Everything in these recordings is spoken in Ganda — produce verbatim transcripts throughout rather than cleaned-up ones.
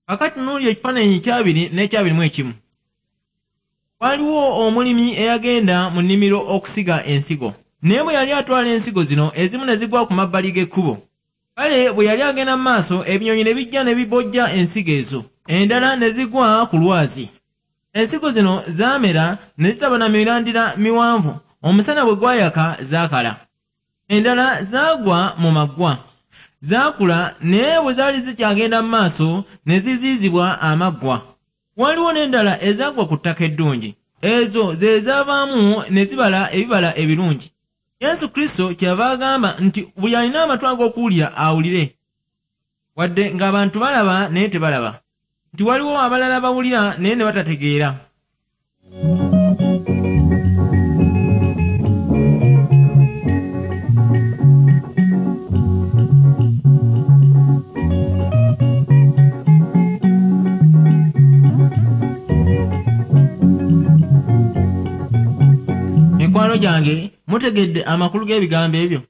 Kakati tunuulira ekifaananyi ekyabiri n'ekyabiri mu ekimu. Waliwo omulimi eyagenda mu nnimiro okusiga ensigo. Naye bwe yali atwala ensigo zino, ezimu ne zigwa ku mabbali g'ekkubo. Kale bwe yali agenda mu maaso, ebinyonyi ne bijja ne bibojja ensigo ezo. Endala ne zigwa ku lwazi. Ensigo zino zaamera ne zitaba na mirandira miwanvu. Omusana bwe gwayaka zaakala. Endala zaagwa mu maggwa. Zaakula naye bwe zaali zikyagenda mu maaso ne ziziizibwa amaggwa. Waliwo n'endala ezaagwa ku ttaka eddungi. Ezo ze zaavaamu ne zibala ebibala ebirungi. Yesu Kristo kyeyava agamba nti buli alina amatu ag'okuwulira awulire. Wadde ng'abantu balaba naye tebalaba. Nti waliwo abalala bawulira naye ne batategeera. Mikwano gyange, mutegedde amakulu g'ebigambo ebyo?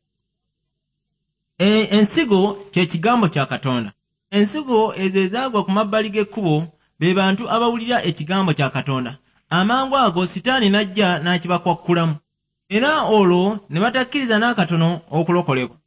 E, ensigo kye kigambo kya Katonda. Ensigo ezo ezaagwa ku mabbali g'ekkubo be bantu abawulira ekigambo kya Katonda. Amangu ago Sitaani n'ajja n'akibakwakkulamu. Era olwo ne batakkiriza n'akatono okulokolebwa.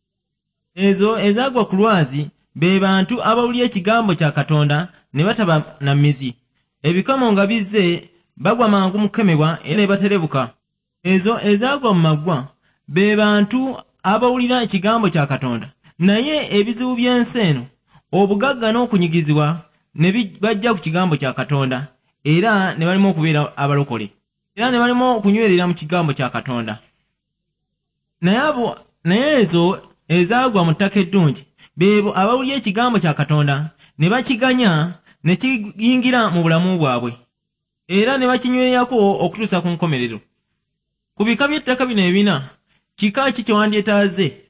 Ezo ezaagwa ku lwazi be bantu abawulira ekigambo kya Katonda ne bataba na mizi. Ebikamo nga bizze bagwa mangu mu kukemebwa era ne baterebuka. Ezo ezaagwa mu maggwa be bantu abawulira ekigambo kya Katonda, naye ebizibu by'ensi eno, obugagga n'okunyigizibwa ne bajja ku kigambo kya Katonda, era ne balema okubeera abalokole, era ne balema okunywerera mu kigambo kya Katonda. Naye abo naye ezo ezaagwa mu ttaka eddungi beebo abawulira ekigambo kya Katonda ne bakiganya ne kiyingira mu bulamu bwabwe, era ne bakinywererako okutuusa ku nkomerero. Ku bika by'ettaka bino ebina, kika ki kye wandyetaaze?